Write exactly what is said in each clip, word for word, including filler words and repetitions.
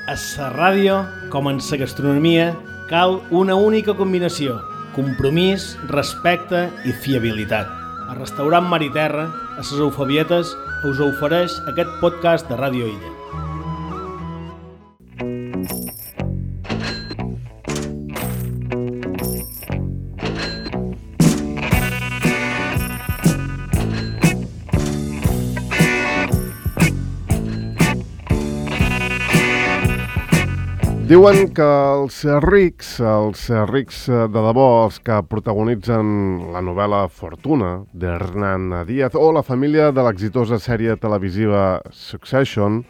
A la ràdio, com en la gastronomia, cal una única combinació: compromís, respecte i fiabilitat. El restaurant Mar i Terra, a les Eufebietes, us ofereix aquest podcast de Ràdio Illa. Diuen que els rics, els rics de debò, els que protagonitzen la novel·la Fortuna d'Hernán Díaz o la família de l'exitosa sèrie televisiva Succession,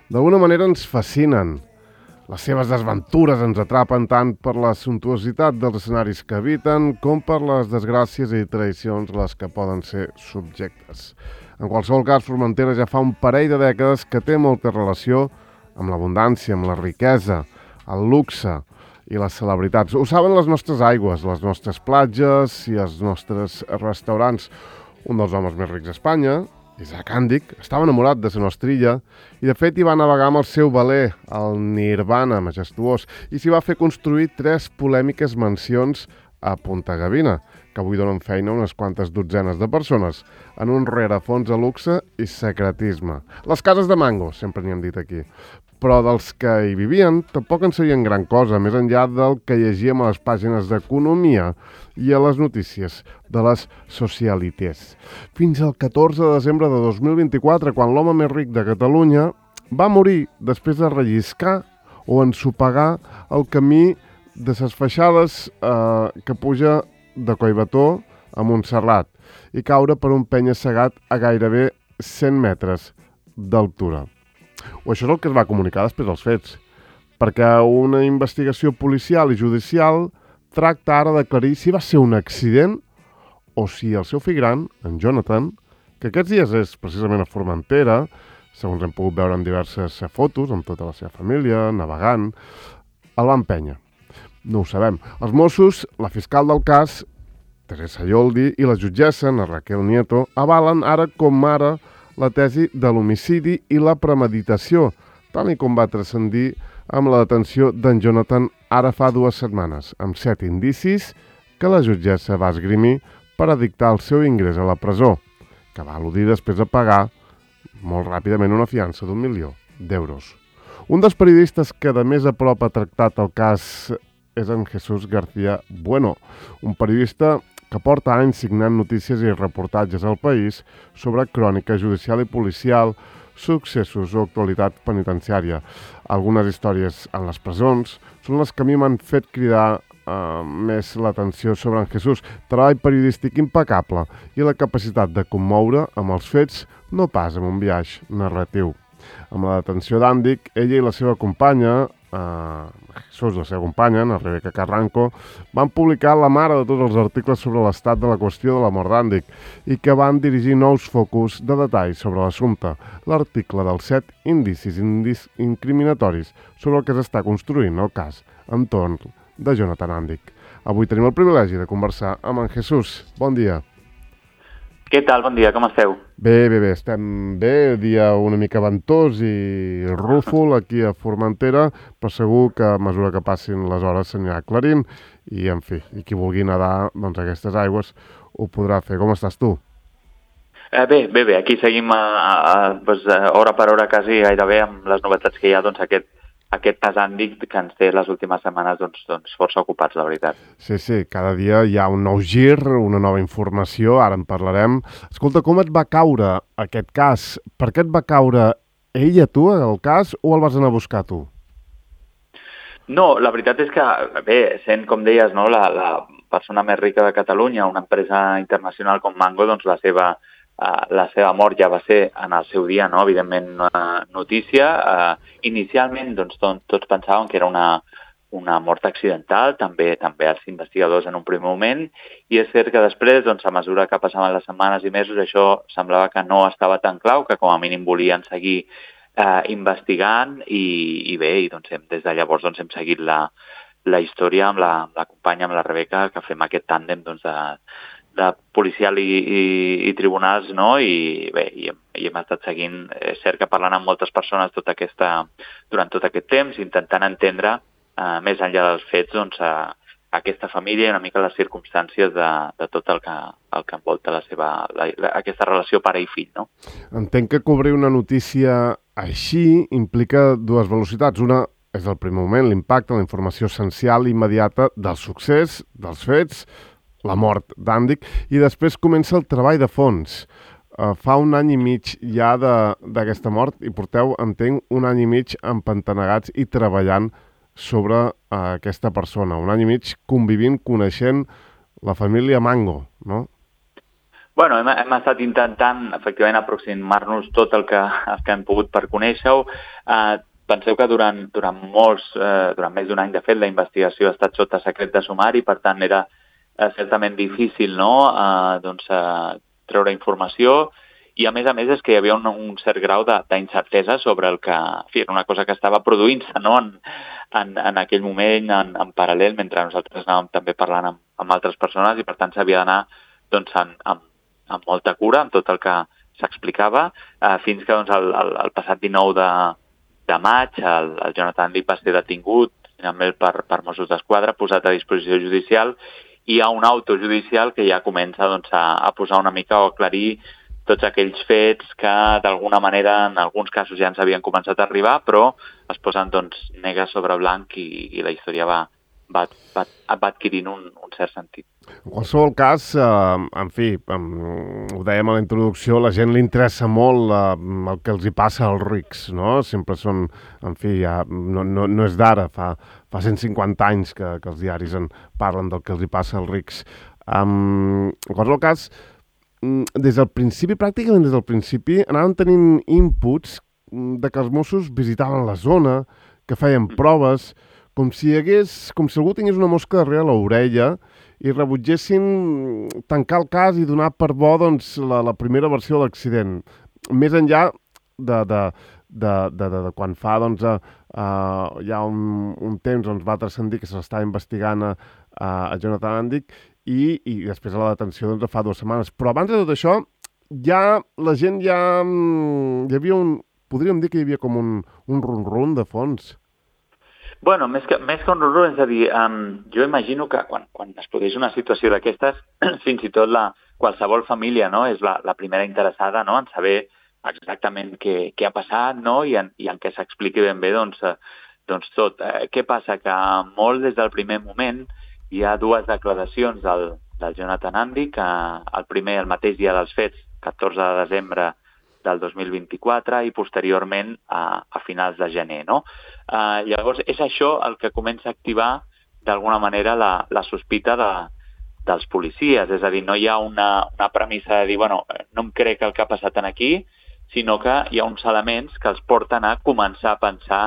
d'alguna manera ens fascinen. Les seves desventures ens atrapen tant per la sumptuositat dels escenaris que habiten com per les desgràcies i traïcions a les que poden ser subjectes. En qualsevol cas, Formentera ja fa un parell de dècades que té molta relació amb l'abundància, amb la riquesa, el luxe i les celebritats. Ho saben les nostres aigües, les nostres platges i els nostres restaurants. Un dels homes més rics d'Espanya, Isaac Àndic, estava enamorat de la nostra illa i de fet hi va navegar amb el seu veler, el Nirvana majestuós, i s'hi va fer construir tres polèmiques mansions a Punta Gavina, que avui donen feina a unes quantes dotzenes de persones, en un rerefons de luxe i secretisme. Les cases de Mango, sempre n'hi hem dit aquí. Però dels que hi vivien tampoc en sabien gran cosa, més enllà del que llegíem a les pàgines d'economia i a les notícies de les socialités. Fins al catorze de desembre de dos mil vint-i-quatre, quan l'home més ric de Catalunya va morir després de relliscar o ensopegar el camí de ses feixades eh, que puja de Collbató a Montserrat i caure per un penya-segat a gairebé cent metres d'altura. O això és el que es va comunicar després dels fets, perquè una investigació policial i judicial tracta ara d'aclarir si va ser un accident o si el seu fill gran, en Jonathan, que aquests dies és precisament a Formentera, segons hem pogut veure en diverses fotos, amb tota la seva família, navegant, el va empènyer. No ho sabem. Els Mossos, la fiscal del cas, Teresa Yoldi, i la jutgessa, na Raquel Nieto, avalen ara com ara la tesi de l'homicidi i la premeditació, tal i com va transcendir amb la detenció d'en Jonathan ara fa dues setmanes, amb set indicis que la jutgessa va esgrimir per a dictar el seu ingrés a la presó, que va al·ludir després de pagar molt ràpidament una fiança d'un milió d'euros. Un dels periodistes que de més a prop ha tractat el cas és en Jesús García Bueno, un periodista que porta anys signant notícies i reportatges al país sobre crònica judicial i policial, successos o actualitat penitenciària. Algunes històries en les presons són les que a mi m'han fet cridar eh, més l'atenció sobre en Jesús. Treball periodístic impecable i la capacitat de commoure amb els fets, no pas amb un viatge narratiu. Amb la detenció d'Àndic, ella i la seva companya, Uh, Jesús, la seva companya, la Rebeca Carranco, van publicar la mare de tots els articles sobre l'estat de la qüestió de la mort d'Àndic i que van dirigir nous focus de detall sobre l'assumpte, l'article dels set indicis indis incriminatoris sobre el que s'està construint el cas entorn de Jonathan Àndic. Avui tenim el privilegi de conversar amb en Jesús. Bon dia. Què tal? Bon dia, com esteu? Bé, bé, bé, estem bé, dia una mica ventós i rúfol aquí a Formentera, però segur que a mesura que passin les hores s'anirà aclarint i, en fi, i qui vulgui nedar doncs, aquestes aigües ho podrà fer. Com estàs tu? Eh, bé, bé, bé, aquí seguim a, a, a, doncs, a hora per hora quasi gairebé amb les novetats que hi ha, doncs aquest aquest cas Àndic que ens té les últimes setmanes doncs, doncs força ocupats, la veritat. Sí, sí, cada dia hi ha un nou gir, una nova informació, ara en parlarem. Escolta, com et va caure aquest cas? Per què et va caure ella, tu, el cas, o el vas anar a buscar tu? No, la veritat és que, bé, sent, com deies, no, la, la persona més rica de Catalunya, una empresa internacional com Mango, doncs la seva Uh, la seva mort ja va ser en el seu dia, no? Evidentment, una notícia. Uh, inicialment, doncs, to tots pensàvem que era una, una mort accidental, també també els investigadors en un primer moment, i és cert que després, doncs, a mesura que passaven les setmanes i mesos, això semblava que no estava tan clau, que com a mínim volien seguir uh, investigant, i, i bé, i, doncs, hem, des de llavors doncs, hem seguit la, la història amb la, amb la companya, amb la Rebeca, que fem aquest tàndem doncs, de de policial i, i, i tribunals, no? I bé, i hem, i hem estat seguint, és cert que parlant amb moltes persones tota aquesta, durant tot aquest temps, intentant entendre, eh, més enllà dels fets, doncs, a, a aquesta família i una mica les circumstàncies de, de tot el que, el que envolta la seva, la, la, aquesta relació pare i fill, no? Entenc que cobrir una notícia així implica dues velocitats. Una és el primer moment, l'impacte, la informació essencial i immediata del succés, dels fets, la mort d'Andic, i després comença el treball de fons. Uh, fa un any i mig ja d'aquesta mort i porteu, entenc, un any i mig empantanegats i treballant sobre uh, aquesta persona. Un any i mig convivint, coneixent la família Mango, no? Bueno, hem, hem estat intentant, efectivament, aproximar-nos tot el que, el que hem pogut per conèixer-ho. Uh, penseu que durant, durant molts, uh, durant més d'un any, de fet, la investigació ha estat sota secret de sumari, per tant, era uh, certament difícil, no?, uh, doncs, uh, treure informació, i a més a més és que hi havia un, un cert grau d'incertesa sobre el que, en fi, era una cosa que estava produint-se, no?, en, en, en aquell moment, en, en paral·lel, mentre nosaltres anàvem també parlant amb, amb altres persones, i per tant s'havia d'anar, doncs, en, amb, amb molta cura, amb tot el que s'explicava, eh, fins que, doncs, el, el, el passat dinou de, de maig, el, el Jonathan Andic va ser detingut, finalment per, per Mossos d'Esquadra, posat a disposició judicial, i hi ha un auto judicial que ja comença, doncs, a, a posar una mica o aclarir tots aquells fets que d'alguna manera en alguns casos ja ens havien començat a arribar, però es posen, doncs, negre sobre blanc i, i la història va, va, va, va adquirint un, un cert sentit. En qualsevol cas, eh, en fi, eh, ho dèiem a la introducció, la gent li interessa molt eh, el que els hi passa als rics, no? Sempre són, en fi, ja, no, no, no és d'ara, fa, fa cent cinquanta anys que, que els diaris en parlen del que els hi passa als rics. Um, en qualsevol cas, des del principi, pràcticament des del principi, anaven tenint inputs de que els Mossos visitaven la zona, que feien proves, com si hi hagués, com si algú tingués una mosca darrere l'orella i rebutgessin tancar el cas i donar per bo, doncs, la, la primera versió de l'accident. Més enllà de, de, de, de, de, de quan fa, doncs, a, a, ja un, un temps, doncs, va transcendir que s'estava investigant a, a Jonathan Andic, I, i després a la detenció, doncs, fa dues setmanes. Però abans de tot això, ja la gent ja... Hi havia un... Podríem dir que hi havia com un, un rum-rum de fons. Bueno, més que, més que un rum-rum, és a dir, um, jo imagino que quan, quan es produeix una situació d'aquestes, fins i tot la, qualsevol família, no?, és la, la primera interessada, no?, en saber exactament què, què ha passat, no?, i en, i en què s'expliqui ben bé, doncs, eh, doncs tot. Eh, què passa? Que molt des del primer moment hi ha dues declaracions del, del Jonathan Andic, el primer, el mateix dia dels fets, catorze de desembre del dos mil vint-i-quatre, i posteriorment a, a finals de gener, no? Eh, llavors, és això el que comença a activar d'alguna manera la, la sospita de, dels policies, és a dir, no hi ha una, una premissa de dir, bueno, no em crec el que ha passat aquí, sinó que hi ha uns elements que els porten a començar a pensar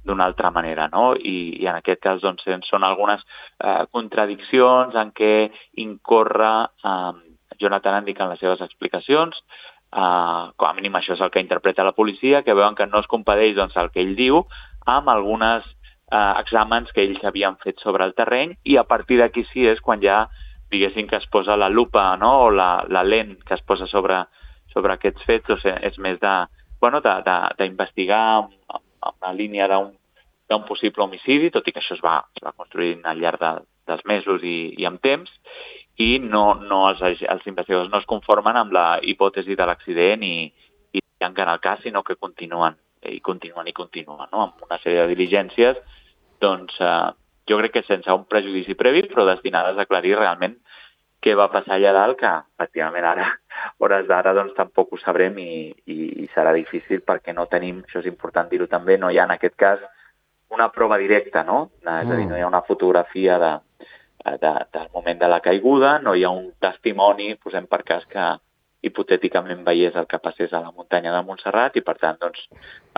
d'una altra manera, no? I, i en aquest cas, doncs, són algunes eh, contradiccions en què incorre eh, Jonathan Andic en les seves explicacions. Eh, com a mínim això és el que interpreta la policia, que veuen que no es compadeix, doncs, el que ell diu amb algunes eh, exàmens que ells havien fet sobre el terreny, i a partir d'aquí sí és quan ja, diguéssim, que es posa la lupa, no?, o la, la lent que es posa sobre, sobre aquests fets, doncs, és més de, bueno, d'investigar amb, amb una línia d'un possible homicidi, tot i que això es va, es va construint al llarg de, dels mesos i, i amb temps, i no, no els, els investigadors no es conformen amb la hipòtesi de l'accident i, i tanquen el cas, sinó que continuen i continuen i continuen, no?, amb una sèrie de diligències, doncs eh, jo crec que sense un prejudici previ, però destinades a aclarir realment què va passar allà dalt, que efectivament ara, hores d'ara, doncs tampoc ho sabrem i, i, i serà difícil perquè no tenim, això és important dir-ho també, no hi ha en aquest cas una prova directa, no? Mm. És a dir, no hi ha una fotografia de, de, del moment de la caiguda, no hi ha un testimoni, posem per cas que hipotèticament veiés el que passés a la muntanya de Montserrat, i per tant, doncs,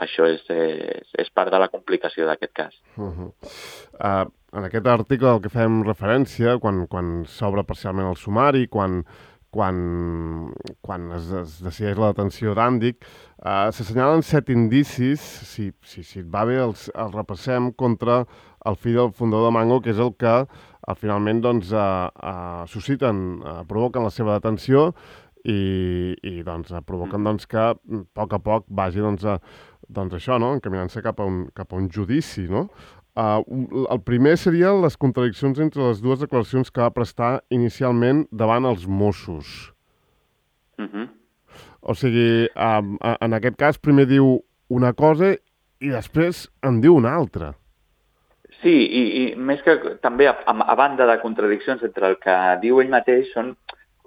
això és, és, és part de la complicació d'aquest cas. Uh-huh. Uh, en aquest article al que fem referència, quan, quan s'obre parcialment el sumari, quan, quan, quan es, es decideix la detenció d'Andic, uh, s'assenyalen set indicis, si, si, si et va bé els, els repassem, contra el fill del fundador de Mango, que és el que uh, finalment doncs, uh, uh, susciten, uh, provoquen la seva detenció i, i doncs, uh, provoquen doncs, que a poc a poc vagi doncs, a, doncs això, no? Encaminant-se cap, a un, cap a un judici, no? Uh, el primer serien les contradiccions entre les dues declaracions que va prestar inicialment davant els Mossos. Uh-huh. O sigui, um, en aquest cas primer diu una cosa i després en diu una altra. Sí, i, i més que també a, a banda de contradiccions entre el que diu ell mateix són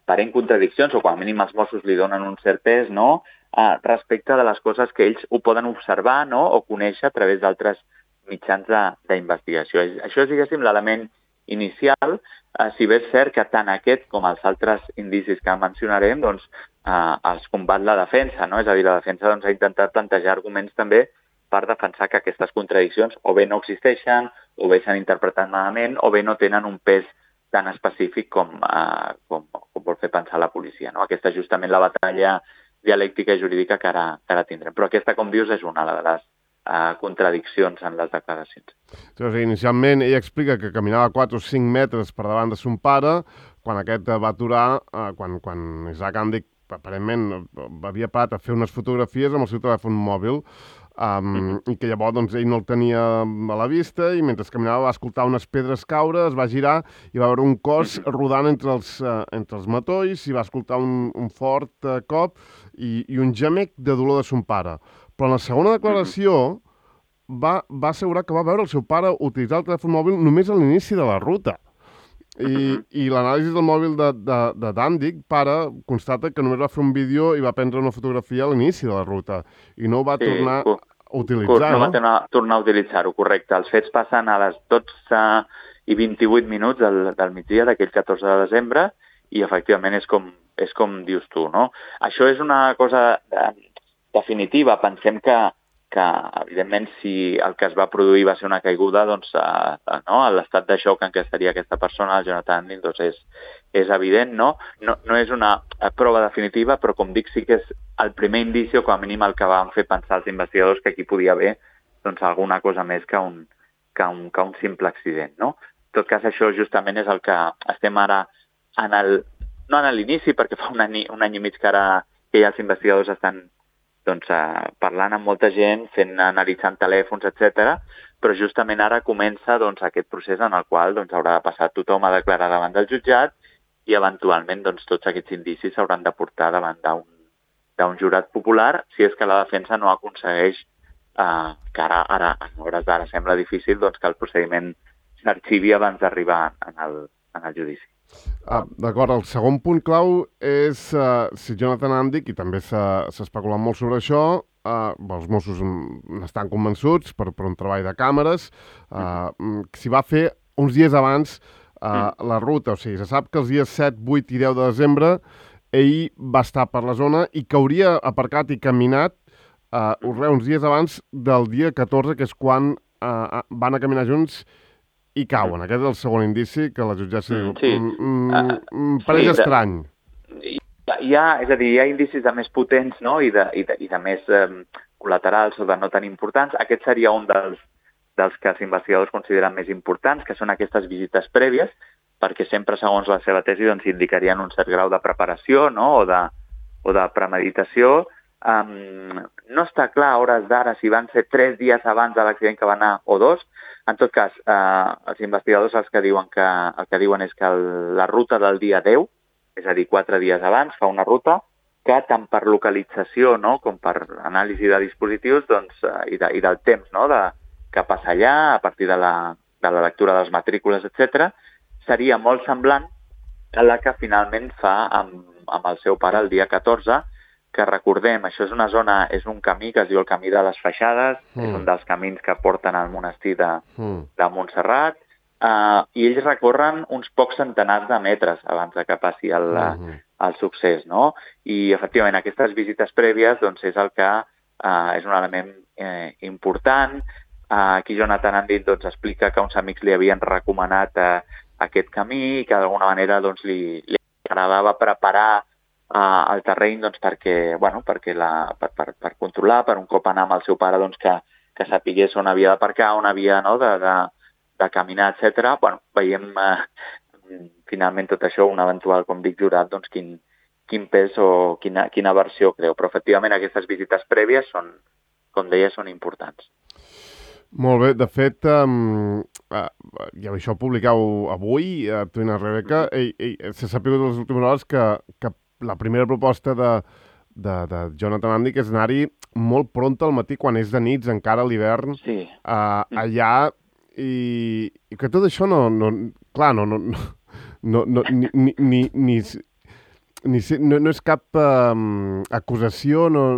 aparent contradiccions, o com a mínim els Mossos li donen un cert pes, no?, uh, respecte de les coses que ells ho poden observar, no?, o conèixer a través d'altres mitjans d'investigació. Això és, diguéssim, l'element inicial, eh, si bé és cert que tant aquest com els altres indicis que mencionarem doncs, eh, els combat la defensa, no? És a dir, la defensa doncs, ha intentat plantejar arguments també per defensar que aquestes contradiccions o bé no existeixen, o bé s'han interpretat malament, o bé no tenen un pes tan específic com, eh, com, com vol fer pensar la policia. No? Aquesta és justament la batalla dialèctica i jurídica que ara, que ara tindrem. Però aquesta, com dius, és una de les Uh, contradiccions en les declaracions. O sigui, inicialment ell explica que caminava quatre o cinc metres per davant de son pare, quan aquest va aturar, uh, quan, quan Isaac Andic aparentment havia parat a fer unes fotografies amb el seu telèfon mòbil, um, mm-hmm. i que llavors doncs, ell no el tenia a la vista i mentre caminava va escoltar unes pedres caure, es va girar i va veure un cos mm-hmm. rodant entre els, uh, entre els matolls i va escoltar un, un fort uh, cop i, i un gemec de dolor de son pare. Però en la segona declaració va, va assegurar que va veure el seu pare utilitzar el telèfon mòbil només a l'inici de la ruta. I, i l'anàlisi del mòbil de, de, de Dandic, pare, constata que només va fer un vídeo i va prendre una fotografia a l'inici de la ruta i no ho va sí, tornar a utilitzar, no? No va tornar, tornar a utilitzar-ho, correcte. Els fets passen a les dotze i vint-i-vuit minuts del, del migdia d'aquell catorze de desembre i efectivament és com, és com dius tu, no? Això és una cosa de, definitiva. Pensem que, que, evidentment, si el que es va produir va ser una caiguda, doncs, a, a, no? l'estat de xoc en què estaria aquesta persona, el Jonathan Andic, doncs és, és evident, no? no? No és una prova definitiva, però, com dic, sí que és el primer indici, o com a mínim el que van fer pensar els investigadors que aquí podia haver doncs, alguna cosa més que un, que un, que un simple accident, no? En tot cas, això justament és el que estem ara, en el, no en l'inici, perquè fa un any, un any i mig que ara que ja els investigadors estan doncs, eh, parlant amb molta gent, fent, analitzant telèfons, etcètera, però justament ara comença doncs, aquest procés en el qual doncs, haurà de passar tothom a declarar davant del jutjat i eventualment doncs, tots aquests indicis s'hauran de portar davant d'un jurat popular si és que la defensa no aconsegueix, eh, que ara, ara en hores d'ara sembla difícil, doncs, que el procediment s'arxivi abans d'arribar en, el, en el judici. Ah, D'acord, el segon punt clau és uh, si Jonathan Andic, i també s'ha especulat molt sobre això, uh, els Mossos n'estan convençuts per, per un treball de càmeres, uh, s'hi va fer uns dies abans uh, la ruta, o sigui, se sap que els dies set, vuit i deu de desembre ell va estar per la zona i que hauria aparcat i caminat uh, uns dies abans del dia catorze, que és quan uh, van a caminar junts i cauen. Aquest és el segon indici que la jutgessa diu. Sí. Mm, mm, pareix sí, estrany. Hi ha, és a dir, hi ha indicis de més potents, no? I, de, i, de, i de més eh, col·laterals o de no tan importants. Aquest seria un dels, dels que els investigadors consideren més importants, que són aquestes visites prèvies, perquè sempre, segons la seva tesi, doncs, indicarien un cert grau de preparació, no? o, de, o de premeditació. Um, no està clar a hores d'ara si van ser tres dies abans de l'accident que va anar o dos. En tot cas, eh, els investigadors els que diuen que, el que diuen és que el, la ruta del dia deu, és a dir, quatre dies abans, fa una ruta que tant per localització, no?, com per anàlisi de dispositius, doncs, eh, i, de, i del temps, no?, de, que passa allà, a partir de la, de la lectura de les matrícules, etcètera, seria molt semblant a la que finalment fa amb, amb el seu pare el dia catorze, que recordem, això és una zona, és un camí que es diu el camí de les Feixades, mm. és un dels camins que porten al monestir de, mm. de Montserrat, uh, i ells recorren uns pocs centenars de metres abans de que passi el, mm. el succés, no? I, efectivament, aquestes visites prèvies, doncs, és el que uh, és un element eh, important. Uh, aquí Jonathan Andic, doncs, explica que uns amics li havien recomanat uh, aquest camí i que, d'alguna manera, doncs, li, li agradava preparar Uh, el terreny doncs, perquè, bueno, perquè la, per, per, per controlar, per un cop anar amb el seu pare doncs, que, que sapigués on havia d'aparcar, on havia, no, de, de, de caminar, etcètera. Bueno, veiem eh, finalment tot això, un eventual, com dic, jurat, doncs quin, quin pes o quina, quina versió creu. Però efectivament aquestes visites prèvies són, com deia, són importants. Molt bé, de fet, um, uh, ja això ho publicau avui, a uh, tu i la Rebeca, mm-hmm. i, i s'ha sabut en les últimes hores que, que la primera proposta de, de, de Jonathan Andic és anar-hi molt pront al matí, quan és de nits, encara a l'hivern, sí. uh, allà, i, i que tot això no, no clar, no, no, no, no ni, ni, ni, ni, ni no, no és cap um, acusació, no,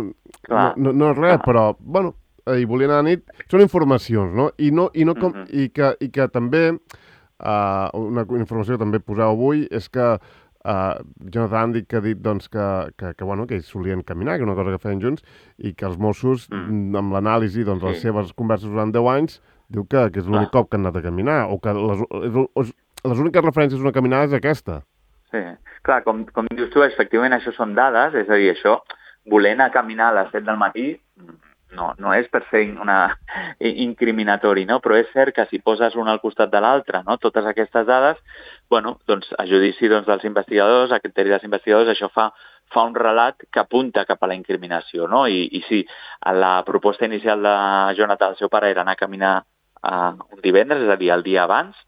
no, no, no és res, clar. Però, bueno, i volien anar a nit, són informacions, no? I, no, i, no com, mm-hmm. i, que, i que també, uh, una informació que també poseu avui, és que uh, Jonathan Andic ha dit doncs, que, que, que, bueno, que ells solien caminar, que és una cosa que feien junts, i que els Mossos, mm. amb l'anàlisi de doncs, sí. les seves converses durant deu anys, diu que, que és l'únic ah. cop que han anat a caminar, o que les, les, les úniques referències d'una caminada és aquesta. Sí, clar, com, com dius tu, efectivament això són dades, és a dir, això, voler anar a caminar a les set del matí, no, no és per ser una incriminatori, no? Però és cert que si poses un al costat de l'altre, no? Totes aquestes dades, bueno, doncs, a judici doncs, dels investigadors, a criteri dels investigadors, això fa, fa un relat que apunta cap a la incriminació, no? I, i sí, la proposta inicial de Jonathan, el seu pare, era anar a caminar uh, un divendres, és a dir, el dia abans.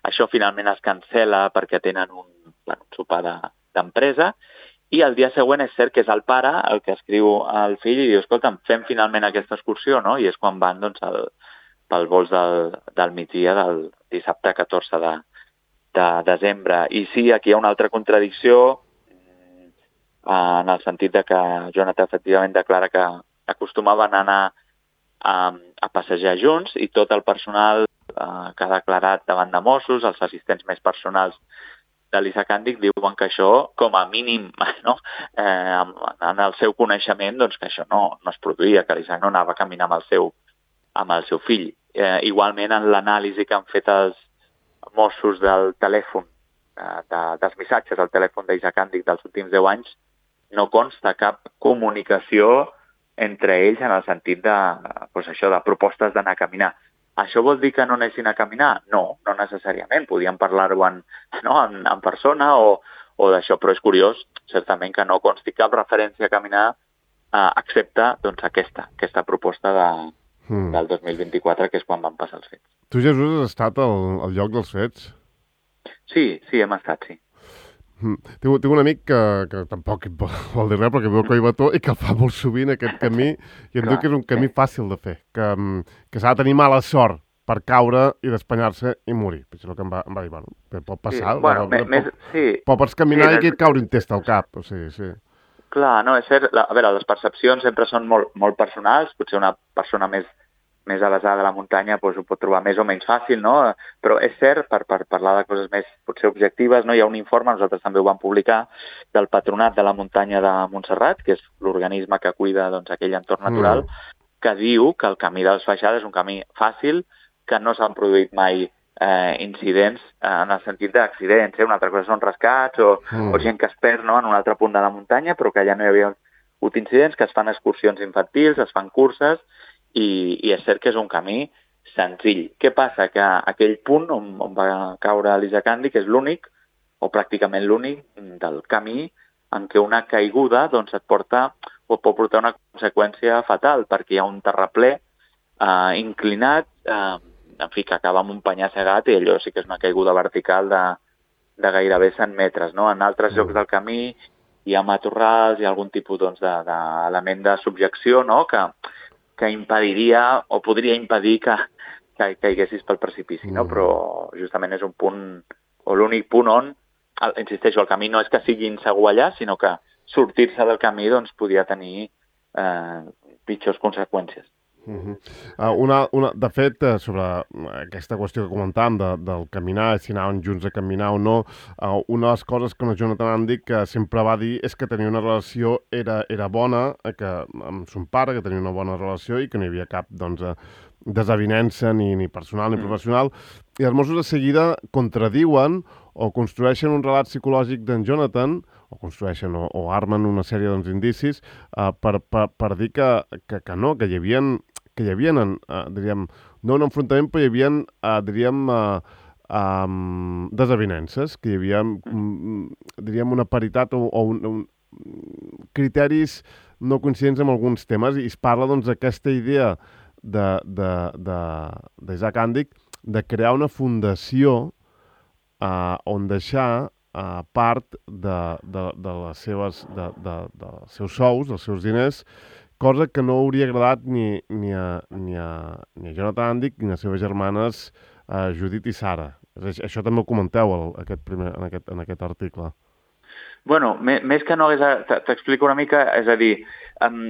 Això finalment es cancela perquè tenen un, bueno, un sopar d'empresa, i el dia següent és cert que és el pare el que escriu al fill i diu, escolta'm, fem finalment aquesta excursió, no? I és quan van doncs, el, pel vols del, del migdia del dissabte catorze de, de desembre. I sí, aquí hi ha una altra contradicció en el sentit de que Jonathan efectivament declara que acostumaven a anar a, a passejar junts i tot el personal eh, que ha declarat davant de Mossos, els assistents més personals de l'Isaac Andic, diuen que això, com a mínim, no? eh, en el seu coneixement, doncs que això no, no es produïa, que l'Isaac no anava a caminar amb el seu, amb el seu fill. Eh, igualment, en l'anàlisi que han fet els Mossos del telèfon, eh, de, dels missatges al telèfon d'Isaac Andic dels últims deu anys, no consta cap comunicació entre ells en el sentit de, doncs això, de propostes d'anar a caminar. Això vol dir que no anessin a caminar? No, no necessàriament. Podíem parlar-ho en, no, en, en persona o, o d'això, però és curiós, certament, que no consti cap referència a caminar eh, excepte doncs, aquesta, aquesta proposta de, mm. del dos mil vint-i-quatre, que és quan van passar els fets. Tu, Jesús, has estat al, al lloc dels fets? Sí, sí, hem estat, sí. Mm. Tinc, tinc un amic que, que tampoc vol dir res, perquè veu que hi va tot i que el fa molt sovint aquest camí, i em diu que és un camí fàcil de fer, que, que s'ha de tenir mala sort per caure i despanyar-se i morir. Això és el que em va, em va dir, bueno, pot passar, sí, bueno, no, no, més, pot, sí. Pot, pots caminar sí, i et caure un test al cap, o sigui, sí. Clar, no, és cert, a veure, les percepcions sempre són molt, molt personals, potser una persona més més avesada a la muntanya doncs, ho pot trobar més o menys fàcil, no? Però és cert, per, per parlar de coses més potser objectives, no? Hi ha un informe, nosaltres també ho vam publicar, del Patronat de la Muntanya de Montserrat, que és l'organisme que cuida doncs, aquell entorn natural, mm. que diu que el camí dels Faixades és un camí fàcil, que no s'han produït mai eh, incidents eh, en el sentit d'accidents. Eh? Una altra cosa són rescats o, mm. o gent que es perd, no? En un altre punt de la muntanya, però que ja no hi havia hagut incidents, que es fan excursions infantils, es fan curses, I, i és cert que és un camí senzill. Què passa? Que aquell punt on, on va caure l'Isaac Andic és l'únic, o pràcticament l'únic, del camí en què una caiguda doncs, et porta o pot portar una conseqüència fatal, perquè hi ha un terraplè eh, inclinat, eh, en fi, que acaba amb un penyar cegat, i allò sí que és una caiguda vertical de, de gairebé cent metres. No? En altres llocs del camí hi ha matorrals, hi ha algun tipus doncs, d'element de, de subjecció, no? que que impediria o podria impedir que, que caiguessis pel precipici, no? Però justament és un punt, o l'únic punt on, insisteixo, el camí no és que sigui insegur allà, sinó que sortir-se del camí doncs, podia tenir eh, pitjors conseqüències. Uh-huh. uh, una, una, de fet, uh, sobre aquesta qüestió que comentàvem de, del caminar, si anaven junts a caminar o no, uh, una de les coses que el Jonathan Andic que sempre va dir és que tenia una relació, era, era bona, que, amb son pare, que tenia una bona relació i que no hi havia cap doncs, desavinença ni, ni personal ni mm. professional, i els Mossos de seguida contradiuen o construeixen un relat psicològic d'en Jonathan, o construeixen o, o armen una sèrie d'indicis doncs, uh, per, per, per dir que, que, que no, que hi havia que hi havia, uh, diríem, no un enfrontament, però hi havia, uh, diríem, uh, um, desavinences, que hi havia, um, diríem, una paritat o, o un, un, criteris no coincidents amb alguns temes, i es parla, doncs, d'aquesta idea d'Isaac de, de, de Àndic de crear una fundació Uh, on deixar uh, part de, de, de les seves, de, de, de dels seus sous, dels seus diners, cosa que no hauria agradat ni, ni, a, ni, a, ni a Jonathan Àndic ni a les seves germanes uh, Judit i Sara. Això també ho comenteu el, aquest primer, en, aquest, en aquest article. Bueno, més que no hagués... T'explico una mica, és a dir, um,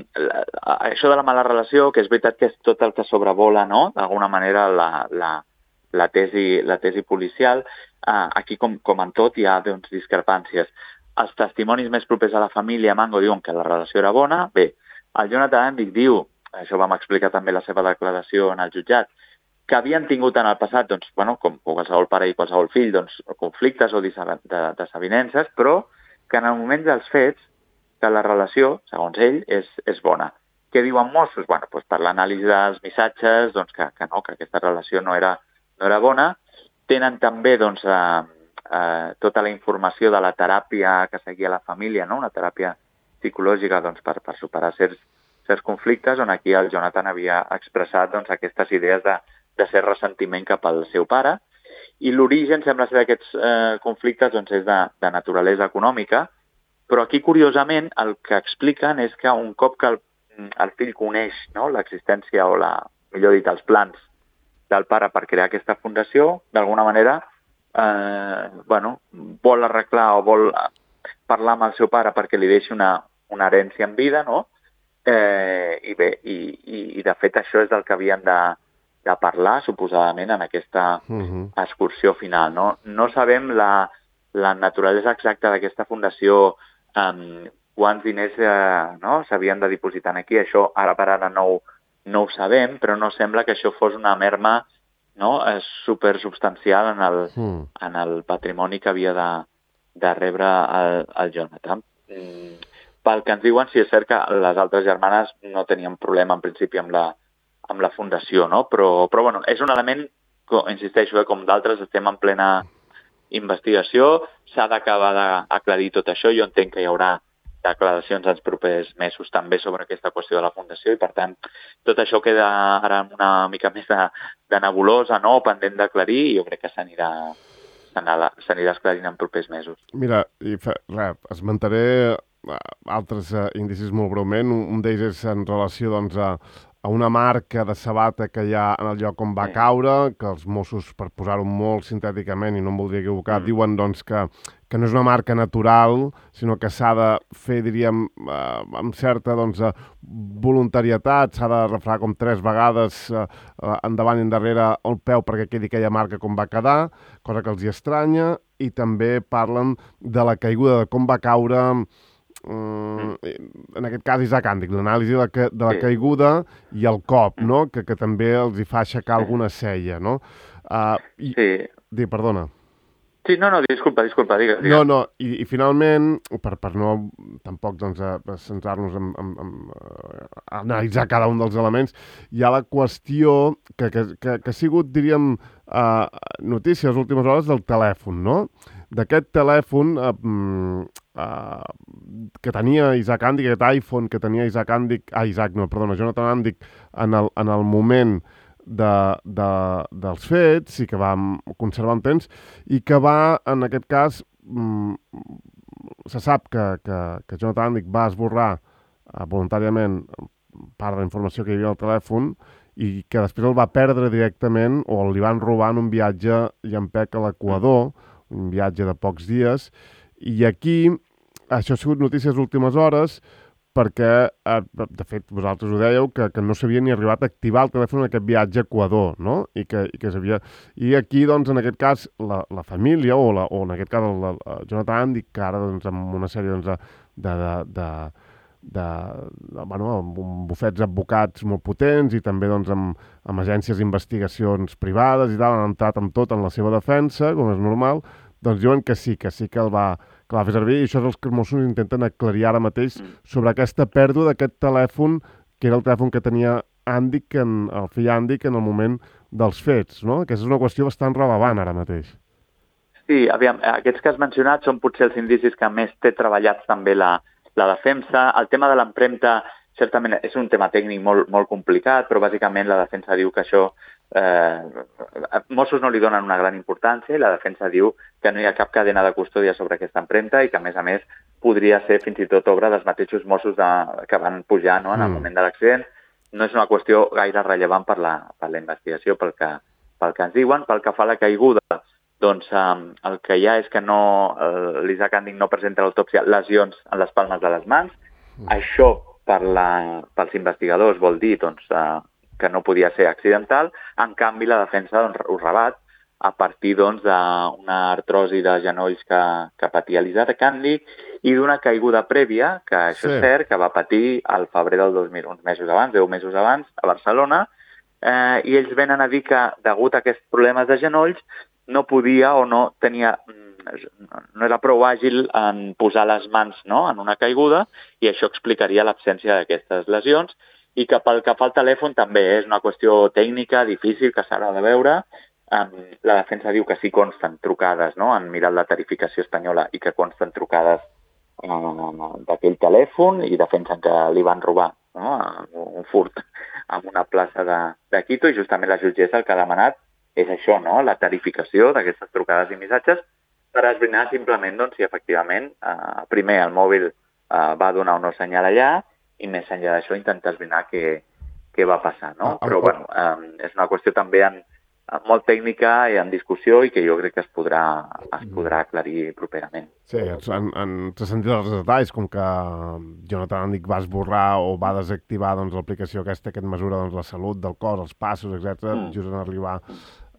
això de la mala relació, que és veritat que és tot el que sobrevola, no?, d'alguna manera la, la, la, tesi, la tesi policial. Uh, aquí, com, com en tot, hi ha doncs, discrepàncies. Els testimonis més propers a la família Mango diuen que la relació era bona. Bé, el Jonathan Àndic diu, això vam explicar també la seva declaració en el jutjat, que havien tingut en el passat, doncs, bueno, com qualsevol pare i qualsevol fill, doncs, conflictes o desavinences, però que en el moment dels fets que la relació, segons ell, és, és bona. Què diuen Mossos? Bueno, doncs per l'anàlisi dels missatges, doncs que, que no, que aquesta relació no era, no era bona. Tenen també doncs, eh, eh, tota la informació de la teràpia que seguia la família, no? Una teràpia psicològica doncs, per, per superar certs, certs conflictes, on aquí el Jonathan havia expressat doncs, aquestes idees de, de cert ressentiment cap al seu pare. I l'origen sembla ser d'aquests eh, conflictes doncs, és de, de naturalesa econòmica, però aquí, curiosament, el que expliquen és que un cop que el, el fill coneix, no?, l'existència o, la, millor dit, els plans del pare per crear aquesta fundació, d'alguna manera eh, bueno, vol arreglar o vol parlar amb el seu pare perquè li deixi una, una herència en vida, no? Eh, i bé, i, i, i de fet això és del que havien de, de parlar, suposadament, en aquesta uh-huh. excursió final, no? No sabem la, la naturalesa exacta d'aquesta fundació, eh, quants diners eh, no? s'havien de dipositar aquí, això ara per ara no ho No ho sabem, però no sembla que això fos una merma, no, supersubstancial en el, mm. en el patrimoni que havia de, de rebre el, el Jonathan. Mm, pel que ens diuen, si és cert que les altres germanes no tenien problema en principi amb la, amb la fundació, no? Però, però bueno, és un element, insisteixo, eh, com d'altres, estem en plena investigació, s'ha d'acabar d'aclarir tot això, jo entenc que hi haurà declaracions els propers mesos també sobre aquesta qüestió de la fundació i, per tant, tot això queda ara una mica més de, de nebulosa, no?, pendent d'aclarir, i jo crec que s'anirà s'anirà esclarint en propers mesos. Mira, i fa, res, esmentaré altres uh, indicis molt breument. Un, un d'ells és en relació doncs, a, a una marca de sabata que hi ha en el lloc on va sí. caure, que els Mossos, per posar-ho molt sintèticament, i no em voldria equivocar, mm. diuen doncs, que, que no és una marca natural, sinó que s'ha de fer, diríem, eh, amb certa doncs, voluntarietat, s'ha de refregar com tres vegades eh, endavant i endarrere el peu perquè quedi aquella marca com va quedar, cosa que els hi estranya, i també parlen de la caiguda, de com va caure... Mm. en aquest cas Isaac Àndic, l'anàlisi de la, de la sí. caiguda i el cop, no? que, que també els hi fa aixecar alguna cella, no? Uh, i, sí. Di, perdona. Sí, no, no, disculpa, disculpa, digues. Digue. No, no, i, i finalment, per, per no tampoc doncs, centrar-nos en, en, en, en analitzar cada un dels elements, hi ha la qüestió que, que, que, que ha sigut, diríem, uh, notícia les últimes hores del telèfon, no? D'aquest telèfon uh, uh, que tenia Isaac Àndic, aquest iPhone que tenia Isaac Àndic, ah, Isaac, no, perdona, Jonathan Àndic, en el, en el moment de, de, dels fets, i que va conservar un temps, i que va, en aquest cas, mm, se sap que, que, que Jonathan Àndic va esborrar uh, voluntàriament part de la informació que hi havia al telèfon, i que després el va perdre directament, o li van robar en un viatge llampec a l'Equador, un viatge de pocs dies, i aquí, això ha sigut notícies últimes hores, perquè, eh, de fet, vosaltres ho dèieu, que, que no s'havia ni arribat a activar el telèfon en aquest viatge a Equador, no? I que, i que s'havia... I aquí, doncs, en aquest cas, la, la família, o, la, o en aquest cas el, el Jonathan Àndic, que ara, doncs, amb una sèrie doncs, de... de, de de, de, bueno, amb bufets advocats molt potents i també doncs, amb, amb agències d'investigacions privades i tal, han entrat amb tot en la seva defensa, com és normal, doncs diuen que sí, que sí que el va, que va fer servir, i això és el que els Mossos intenten aclarir ara mateix sobre aquesta pèrdua d'aquest telèfon, que era el telèfon que tenia Andic, en, el fill Andic en el moment dels fets, no? Aquesta és una qüestió bastant rellevant ara mateix. Sí, aviam, aquests que has mencionat són potser els indicis que més té treballats també la, la defensa. El tema de l'empremta, certament, és un tema tècnic molt, molt complicat, però bàsicament la defensa diu que això... Eh, Mossos no li donen una gran importància i la defensa diu que no hi ha cap cadena de custòdia sobre aquesta empremta i que, a més a més, podria ser fins i tot obra dels mateixos Mossos de, que van pujar, no?, en el moment de l'accident. No és una qüestió gaire rellevant per la, per la investigació, pel que, pel que ens diuen. Pel que fa a la caiguda, doncs eh, el que hi ha és que no, l'Isaac Andic no presenta a l'autòpsia lesions en les palmes de les mans. Mm. Això, per la, pels investigadors, vol dir doncs, eh, que no podia ser accidental. En canvi, la defensa doncs, ho rebat a partir doncs, d'una artrosi de genolls que, que patia l'Isaac Andic i d'una caiguda prèvia, que això sí. És cert, que va patir al febrer del dos mil, uns mesos abans, deu mesos abans, a Barcelona, eh, i ells venen a dir que, degut a aquests problemes de genolls, no podia o no tenia... no era prou àgil en posar les mans, no?, en una caiguda, i això explicaria l'absència d'aquestes lesions, i que pel que fa al telèfon també és una qüestió tècnica, difícil, que s'ha de veure. Um, la defensa diu que sí consten trucades, no?, han mirat la tarificació espanyola i que consten trucades uh, d'aquell telèfon i defensen que li van robar, no?, un furt en una plaça de, de Quito, i justament la jutgessa el que ha demanat és això, no?, la tarificació d'aquestes trucades i missatges per esbrinar simplement doncs, si efectivament uh, primer el mòbil uh, va donar o no senyal allà, i més enllà d'això intentar esbrinar què, què va passar, no? Ah, Però, bueno, eh, és una qüestió també en, en molt tècnica i en discussió i que jo crec que es podrà, es podrà aclarir properament. Sí, en, en sentit dels detalls, com que Jonathan Andic va esborrar o va desactivar doncs, l'aplicació aquesta que et mesura doncs, la salut del cos, els passos, etcètera, mm. just en arribar...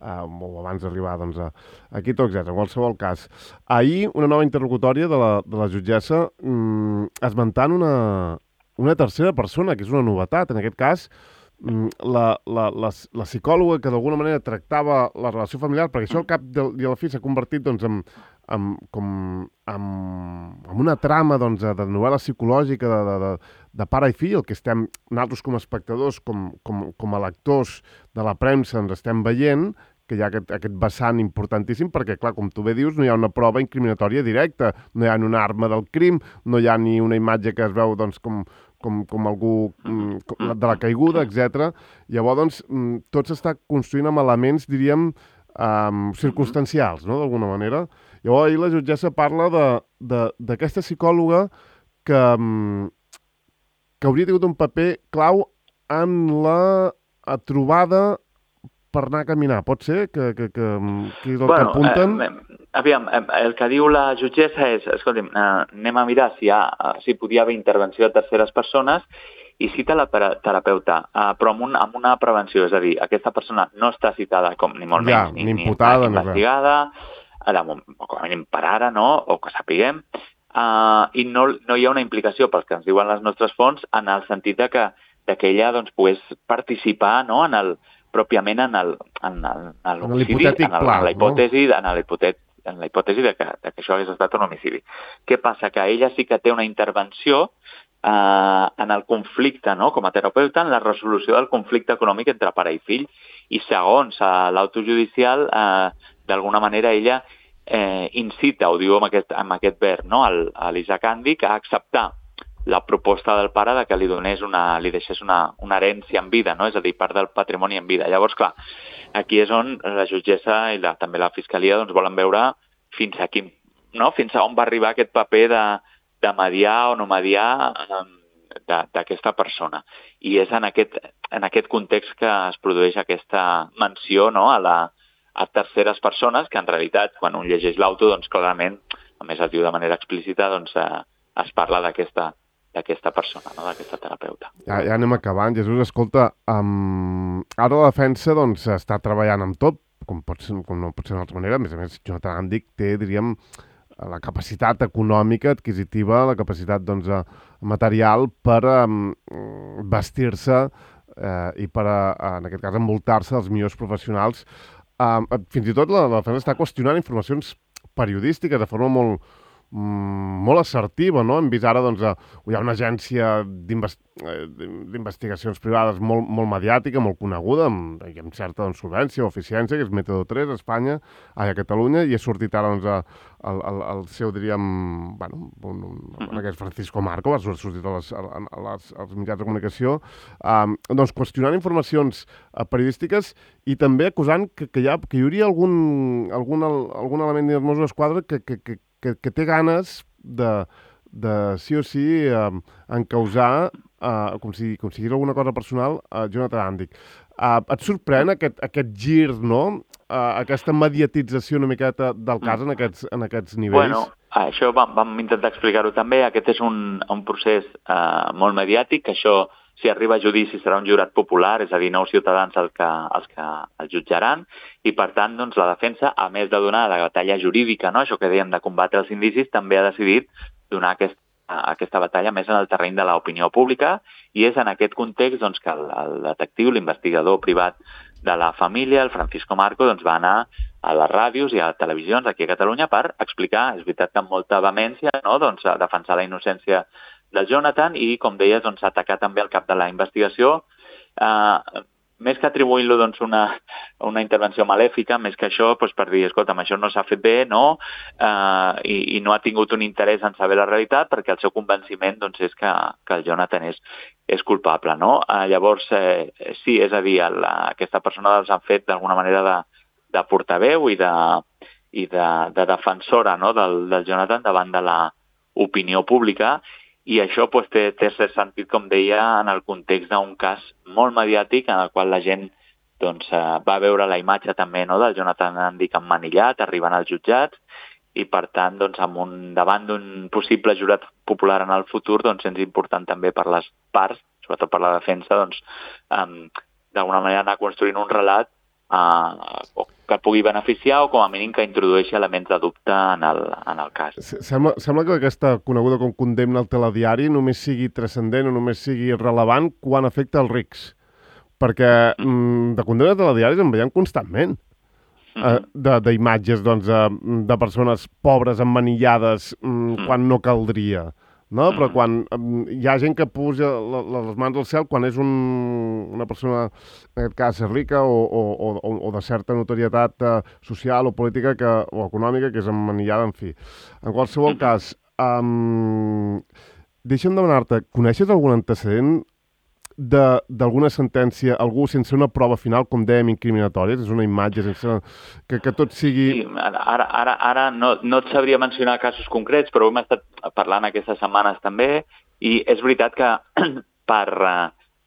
Uh, o abans d'arribar doncs, a, a Quito, etcètera. En qualsevol cas. Ahir, una nova interlocutòria de la, de la jutgessa mm, esmentant una, una tercera persona, que és una novetat. En aquest cas, mm, la, la, la, la psicòloga que d'alguna manera tractava la relació familiar, perquè això al cap de, i a la fi s'ha convertit doncs, en, en, com, en, en una trama doncs, de novel·la psicològica de, de, de, de pare i fill, el que estem, nosaltres com a espectadors, com, com, com a lectors de la premsa ens estem veient, que hi ha aquest, aquest vessant importantíssim, perquè, clar, com tu bé dius, no hi ha una prova incriminatòria directa, no hi ha una arma del crim, no hi ha ni una imatge que es veu doncs, com, com, com algú com, de la caiguda, etcètera. Llavors, doncs, tot s'està construint amb elements, diríem, um, circumstancials, no?, d'alguna manera. Llavors, ahir la jutgessa parla d'aquesta psicòloga que, que hauria tingut un paper clau en la trobada per anar a caminar. Pot ser que, que, que, que és el bueno, que apunten? Eh, aviam, el que diu la jutgessa és, escolti'm, eh, anem a mirar si, hi ha, si podia haver intervenció de terceres persones i cita la terapeuta, eh, però amb, un, amb una prevenció, és a dir, aquesta persona no està citada com ni molt ja, menys, ni, ni imputada, ni investigada, ara, o com a mínim per ara, no?, o que sapiguem, eh, i no, no hi ha una implicació, pels que ens diuen les nostres fonts, en el sentit de que, de que ella doncs, pogués participar, no?, en el pròpiament en el, en el, en l'homicidi, en, en la hipòtesi, no? en la hipòtesi, en la hipòtesi de, que, de que això hagués estat un homicidi. Què passa? Que ella sí que té una intervenció eh, en el conflicte, no? Com a terapeuta, en la resolució del conflicte econòmic entre pare i fill, i segons eh, l'auto judicial, eh, d'alguna manera ella eh, incita, ho diu amb aquest, amb aquest verb, no? El, a l'Isaac Andic a acceptar la proposta del pare de que li donés una, li deixés una, una herència en vida, no? És a dir, part del patrimoni en vida. Llavors, clar, aquí és on la jutgessa i la, també la fiscalia doncs, volen veure fins a quin, no? Fins a on va arribar aquest paper de, de mediar o no mediar d'aquesta persona. I és en aquest, en aquest context que es produeix aquesta menció, no? a, la, a terceres persones, que en realitat, quan un llegeix l'auto, doncs clarament, a més es diu de manera explícita, doncs eh, es parla d'aquesta d'aquesta persona, no? D'aquesta terapeuta. Ja, ja anem acabant. Jesús, escolta, um, ara la defensa doncs, està treballant amb tot, com, pot ser, com no pot ser d'una altra manera. A més a més, Jonathan Andic té, diríem, la capacitat econòmica, adquisitiva, la capacitat doncs, material per um, vestir-se eh, i per, uh, en aquest cas, envoltar-se dels millors professionals. Um, fins i tot la, la defensa està qüestionant informacions periodístiques de forma molt mm, molt assertiva, no? Hem vist ara, doncs, hi ha una agència d'investigacions privades molt, molt mediàtica, molt coneguda, amb, amb certa doncs, solvència o eficiència, que és Método tres a Espanya, a Catalunya, i ha sortit ara, doncs, a, el, el, el seu, diríem, bueno, un, un, en aquest Francisco Marco, ha sortit a les, a les, als mitjans de comunicació, um, doncs, qüestionant informacions uh, periodístiques i també acusant que, que, hi, ha, que hi hauria algun, algun, algun element dels Mossos d'Esquadra que, que, que, que, que té ganes de, de sí o sí, uh, encausar, uh, com, si, com si digués alguna cosa personal, a uh, Jonathan Andic. Uh, et sorprèn aquest, aquest gir, no?, Uh, aquesta mediatització una miqueta del cas en aquests, en aquests nivells? Bueno, això vam, vam intentar explicar-ho també. Aquest és un, un procés uh, molt mediàtic. Això, si arriba a judici, serà un jurat popular, és a dir, nou ciutadans els que, els que el jutjaran, i per tant, doncs, la defensa, a més de donar la batalla jurídica, no?, això que dèiem de combatre els indicis, també ha decidit donar aquest, aquesta batalla més en el terreny de l'opinió pública, i és en aquest context doncs, que el, el detectiu, l'investigador privat de la família, el Francisco Marco, doncs va anar a les ràdios i a les televisions aquí a Catalunya per explicar, és veritat que amb molta vehemència, no?, doncs, a defensar la innocència del Jonathan i, com deies, doncs, atacar també el cap de la investigació. Eh, més que atribuint-lo doncs, una, una intervenció malèfica, més que això, doncs, per dir, escolta'm, això no s'ha fet bé, no?, eh, i, i no ha tingut un interès en saber la realitat perquè el seu convenciment doncs, és que, que el Jonathan és, és culpable, no? Eh, llavors, eh, sí, és a dir, la, aquesta persona els han fet d'alguna manera de, de portaveu i de, i de, de defensora, no?, del, del Jonathan davant de l'opinió pública, i això pues, té, té cert sentit, com deia, en el context d'un cas molt mediàtic en el qual la gent doncs, eh, va veure la imatge també, no?, del Jonathan Andic emmanillat, arribant als jutjats, i per tant, doncs, amb un, davant d'un possible jurat popular en el futur, doncs, és important també per les parts, sobretot per la defensa, doncs, um, d'alguna manera anar construint un relat uh, que pugui beneficiar o com a mínim que introdueixi elements de dubte en el, en el cas. Sembla, sembla que aquesta coneguda com condemna al telediari només sigui transcendent o només sigui rellevant quan afecta els rics, perquè mm, de condemnes de telediaris en veiem constantment. Mm-hmm. D'imatges doncs, de persones pobres emmanillades mm, mm. quan no caldria, no? Mm. Però quan mm, hi ha gent que puja les mans al cel quan és un, una persona, en aquest cas, rica o, o, o, o de certa notorietat uh, social o política que, o econòmica que és emmanillada, en fi. En qualsevol mm. cas, um, deixa'm demanar-te, coneixes algun antecedent d'alguna sentència, algú sense una prova final, com dèiem, incriminatòria, és una imatge sense... que, que tot sigui... Sí, ara, ara, ara no, no et sabria mencionar casos concrets, però hem estat parlant aquestes setmanes també, i és veritat que per,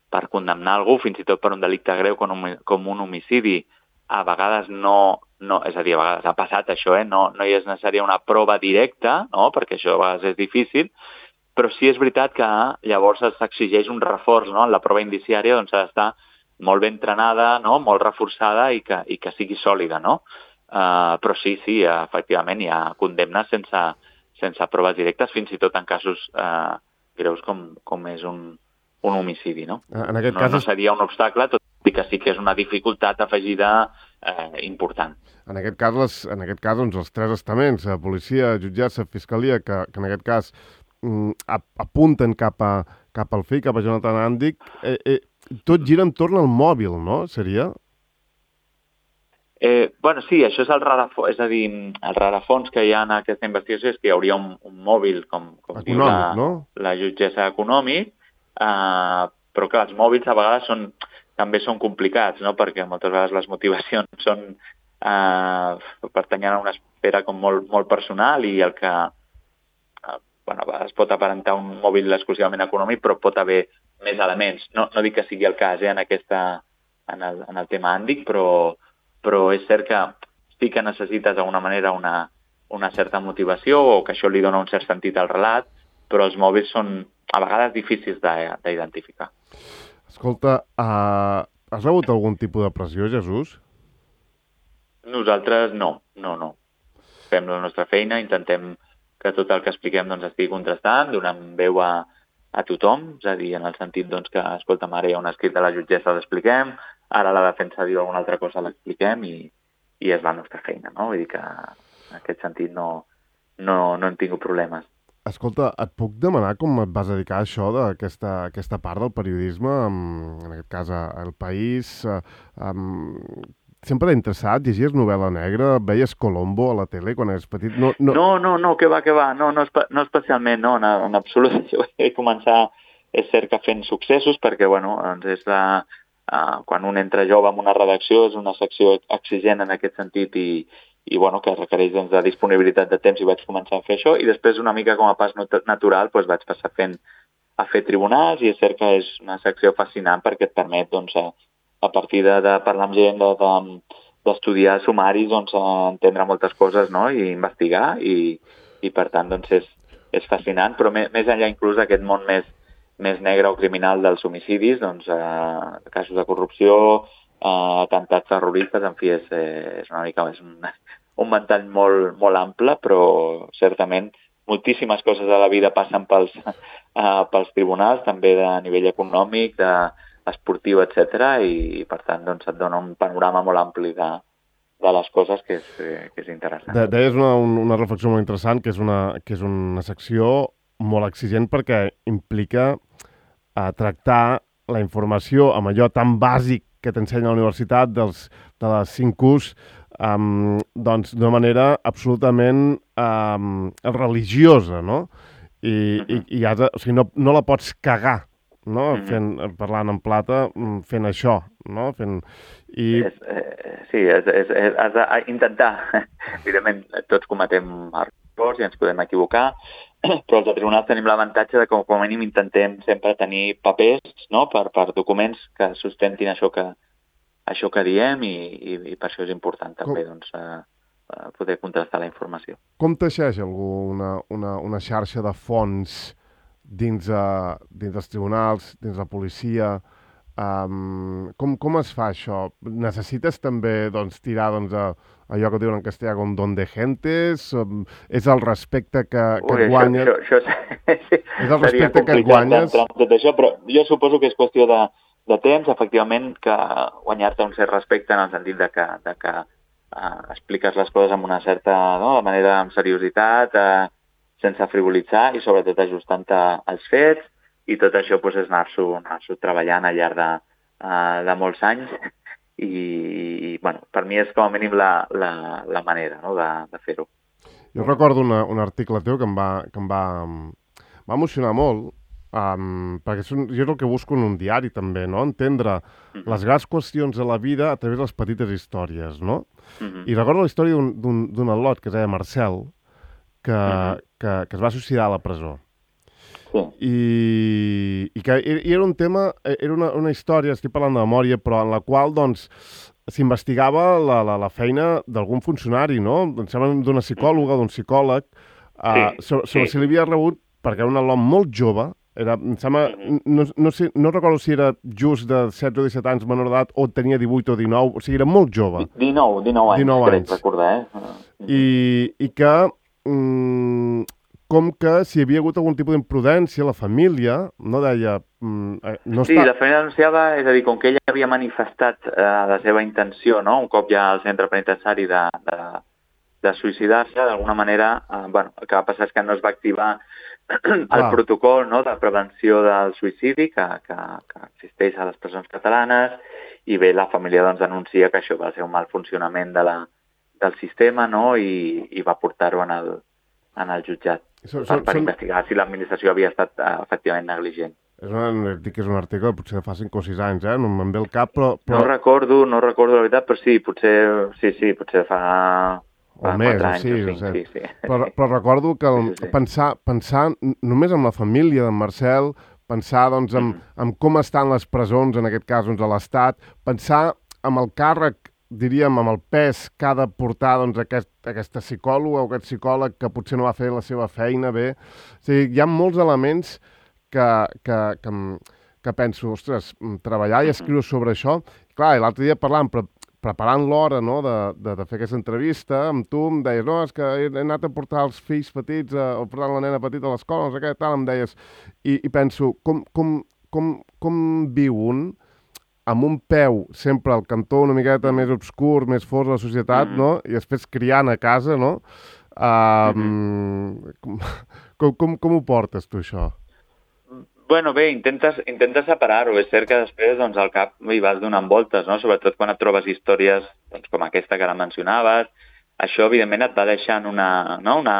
per condemnar algú, fins i tot per un delicte greu com un, com un homicidi, a vegades no... no és a dir, a vegades ha passat això, eh? no, no hi és necessària una prova directa, no? Perquè això a vegades és difícil, però sí és veritat que llavors s'exigeix un reforç, no? En la prova indiciària doncs, ha d'estar molt ben entrenada, no? Molt reforçada i que, i que sigui sòlida, no? Uh, però sí, sí, efectivament hi ha condemnes sense, sense proves directes, fins i tot en casos uh, greus com, com és un, un homicidi, no? En aquest no, cas... no seria un obstacle, tot i que sí que és una dificultat afegida uh, important. En aquest cas, les, en aquest cas doncs, els tres estaments, la policia, jutjats, la fiscalia, que, que en aquest cas apunten cap, a, cap al fill, cap a Jonathan Andic, eh, eh, tot gira entorn al mòbil, no? Seria? Eh, bueno, sí, això és el rarafons, és a dir, el rarafons que hi ha en aquesta investigació és que hi hauria un, un mòbil, com, com econòmic, diu la, no? la jutgessa econòmic, eh, però que els mòbils a vegades són, també són complicats, no? Perquè moltes vegades les motivacions són eh, pertanyen a una esfera com molt, molt personal i el que bueno, es pot aparentar un mòbil exclusivament econòmic, però pot haver més elements. No, no dic que sigui el cas eh, en, aquesta, en, el, en el tema Andic, però, però és cert que sí que necessites d'alguna manera una, una certa motivació o que això li dona un cert sentit al relat, però els mòbils són a vegades difícils d'identificar. Escolta, uh, has rebut algun tipus de pressió, Jesús? Nosaltres no, no, no. Fem la nostra feina, intentem que tot el que expliquem doncs, estigui contrastant, donem veu a, a tothom, és a dir, en el sentit doncs, que, escolta'm, ara hi ha un escrit de la jutgessa, l'expliquem, ara la defensa diu alguna altra cosa, l'expliquem i, i és la nostra feina, no? Vull dir que en aquest sentit no, no, no hem tingut problemes. Escolta, et puc demanar com et vas dedicar a això, d'aquesta aquesta part del periodisme, amb, en aquest cas a El País? Amb... Sempre t'ha interessat? Llegies novel·la negra? Veies Colombo a la tele quan eres petit? No, no, no, no, no que va, que va. No, no, no especialment, no, en, en absolut. Jo vaig començar, és cert que fent successos, perquè, bueno, doncs és la... Uh, quan un entra jove en una redacció és una secció exigent en aquest sentit i, i bueno, que requereix doncs, de disponibilitat de temps i vaig començar a fer això i després una mica com a pas natural doncs, vaig passar fent, a fer tribunals i és cert que és una secció fascinant perquè et permet doncs, a, a partir de, de parlar amb gent, d'estudiar de, de, sumaris, doncs, entendre moltes coses, no? I investigar i, i per tant doncs, és, és fascinant, però més, més enllà inclús d'aquest món més més negre o criminal dels homicidis, doncs, eh, casos de corrupció, eh, atemptats terroristes, en fi, és, eh, és una mica és un, un ventall molt, molt ample, però certament moltíssimes coses de la vida passen pels, eh, pels tribunals, també de nivell econòmic, de esportiu, etcètera, i per tant doncs, et dona un panorama molt ampli de, de les coses que és, que és interessant. De, deies una, una reflexió molt interessant, que és una, que és una secció molt exigent perquè implica a tractar la informació amb allò tan bàsic que t'ensenya a la universitat dels, de les cinc U's um, doncs d'una manera absolutament um, religiosa, no? I, uh-huh. i, i has de, o sigui, no, no la pots cagar, no? Uh-huh. Fent, parlant en plata, fent això, no? Fent, i... és, eh, sí, és, és, és, has d'intentar. Evidentment, tots cometem errors i ens podem equivocar, però els de tribunals tenim l'avantatge de que com a mínim intentem sempre tenir papers, no? per, per documents que sustentin això que, això que diem i, i, i per això és important també doncs, eh, poder contrastar la informació. Com teixeix algú una, una, una xarxa de fonts dins, uh, dins dels tribunals, dins la policia? Um, com, com es fa això? Necessites també doncs, tirar doncs, a, allò que diuen en castellà com don de gentes? Um, és el respecte que, que Ui, et guanyes? Això, això, això, és el respecte que et guanyes? Tot això, però jo suposo que és qüestió de, de temps, efectivament, que guanyar-te un cert respecte en el sentit de que, de que uh, expliques les coses amb una certa no, de manera amb seriositat, uh, sense frivolitzar i sobretot ajustant-te als fets. I tot això doncs, és anar-s'ho anar treballant al llarg de, uh, de molts anys i, i bueno, per mi és com a mínim la, la, la manera no, de, de fer-ho. Jo recordo una, un article teu que em va, que em va, va emocionar molt, um, perquè és un, jo és el que busco en un diari també, no? Entendre uh-huh. les grans qüestions de la vida a través de les petites històries, no? Uh-huh. I recordo la història d'un al·lot que es deia Marcel, que, uh-huh. que, que es va suïcidar a la presó. Sí. I, i que i era un tema, era una, una història, estic parlant de memòria, però en la qual doncs s'investigava la, la, la feina d'algun funcionari, no? Em sembla d'una psicòloga, d'un psicòleg, uh, sí, sobre, sobre sí. si l'havia rebut, perquè era un al·lot molt jove, era, em sembla, no, no, sé, no recordo si era just de setze o disset anys menor d'edat o tenia divuit o dinou, o sigui, era molt jove. dinou, dinou anys, dinou crec anys. recordar, eh? I, i que... Mm, com que si hi havia hagut algun tipus d'imprudència, la família no deia... Mm, no sí, està... la família denunciava, és a dir, com que ella havia manifestat eh, la seva intenció, no? Un cop ja al centre penitenciari de, de, de suïcidar-se, d'alguna manera, eh, bueno, el que va passar és que no es va activar el Clar. protocol no? de prevenció del suïcidi que, que, que existeix a les presons catalanes i bé, la família doncs, denuncia que això va ser un mal funcionament de la, del sistema no? I, i va portar-ho en el, en el jutjat. So, so, per, per són... investigar si l'administració havia estat uh, efectivament negligent. És una, dic que és un article potser de fa cinc o sis anys, eh? No me'n ve el cap, però, però... No recordo, no recordo la veritat, però sí, potser, sí, sí, potser fa... O més, o sí, o sí, sí. Però, però recordo que el, sí, sí. Pensar, pensar només en la família d'en Marcel, pensar doncs, en, mm. en com estan les presons, en aquest cas doncs, a l'Estat, pensar en el càrrec, diríem, amb el pes que ha de portar doncs, aquest, aquesta psicòloga o aquest psicòleg que potser no va fer la seva feina bé. O sigui, hi ha molts elements que, que, que, que penso, ostres, treballar i escriure sobre això. Clar, l'altre dia parlant, pre preparant l'hora no, de, de, de fer aquesta entrevista, amb tu em deies, no, és que he anat a portar els fills petits, a, o portar la nena petita a l'escola, no sé què, tal, em deies. I, i penso, com, com, com, com viu un amb un peu sempre al cantó una miqueta més obscur, més fort de la societat, mm. no? I després criant a casa, no? Uh, mm-hmm. com, com, com ho portes, tu, això? Bueno, bé, intentes, intentes separar-ho. És cert que després doncs, al cap hi vas donant voltes, no? Sobretot quan et trobes històries doncs, com aquesta que ara mencionaves. Això, evidentment, et va deixant una... No, una,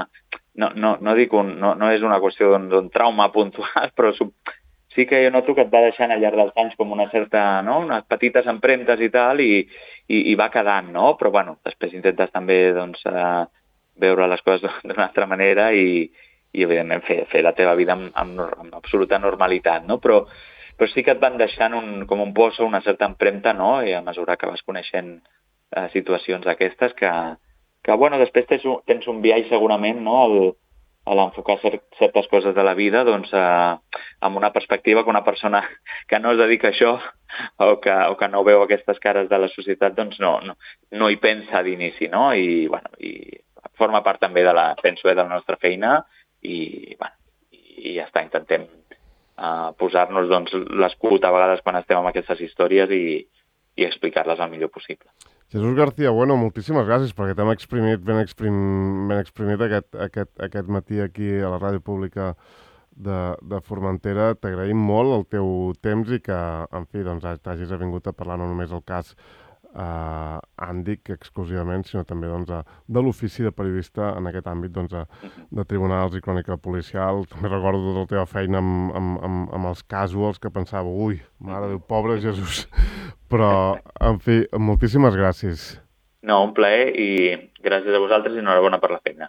no, no, no, dic un, no, no és una qüestió d'un trauma puntual, però sí que jo noto que et va deixant al llarg dels anys com una certa, no? Unes petites empremtes i tal, i, i, i va quedant, no? Però, bueno, després intentes també, doncs, eh, veure les coses d'una altra manera i, i evidentment, fer, fer la teva vida amb, amb, amb absoluta normalitat, no? Però, però sí que et van deixant un, com un poso, una certa empremta, no? I a mesura que vas coneixent eh, situacions d'aquestes que, que, bueno, després tens un, tens un viatge segurament, no?, al, a l'enfocar certes coses de la vida, doncs, eh, amb una perspectiva que una persona que no es dedica a això o que, o que no veu aquestes cares de la societat, doncs no, no, no hi pensa d'inici, no? I, bueno, i forma part també de la, penso, eh, de la nostra feina i, bueno, i ja està, intentem eh, posar-nos doncs, l'escut a vegades quan estem amb aquestes històries i, i explicar-les el millor possible. Jesús García, bueno, moltíssimes gràcies perquè t'hem exprimit, ben, exprim, ben exprimit aquest, aquest, aquest matí aquí a la ràdio pública de, de Formentera. T'agraïm molt el teu temps i que, en fi, doncs, t'hagis vingut a parlar no només el cas eh, Àndic exclusivament, sinó també doncs, de l'ofici de periodista en aquest àmbit doncs, de tribunals i crònica policial. També recordo tota la teva feina amb, amb, amb, amb els casuals que pensava, ui, mare Déu, pobre Jesús. Però, en fi, moltíssimes gràcies. No, un plaer i gràcies a vosaltres i enhorabona per la feina.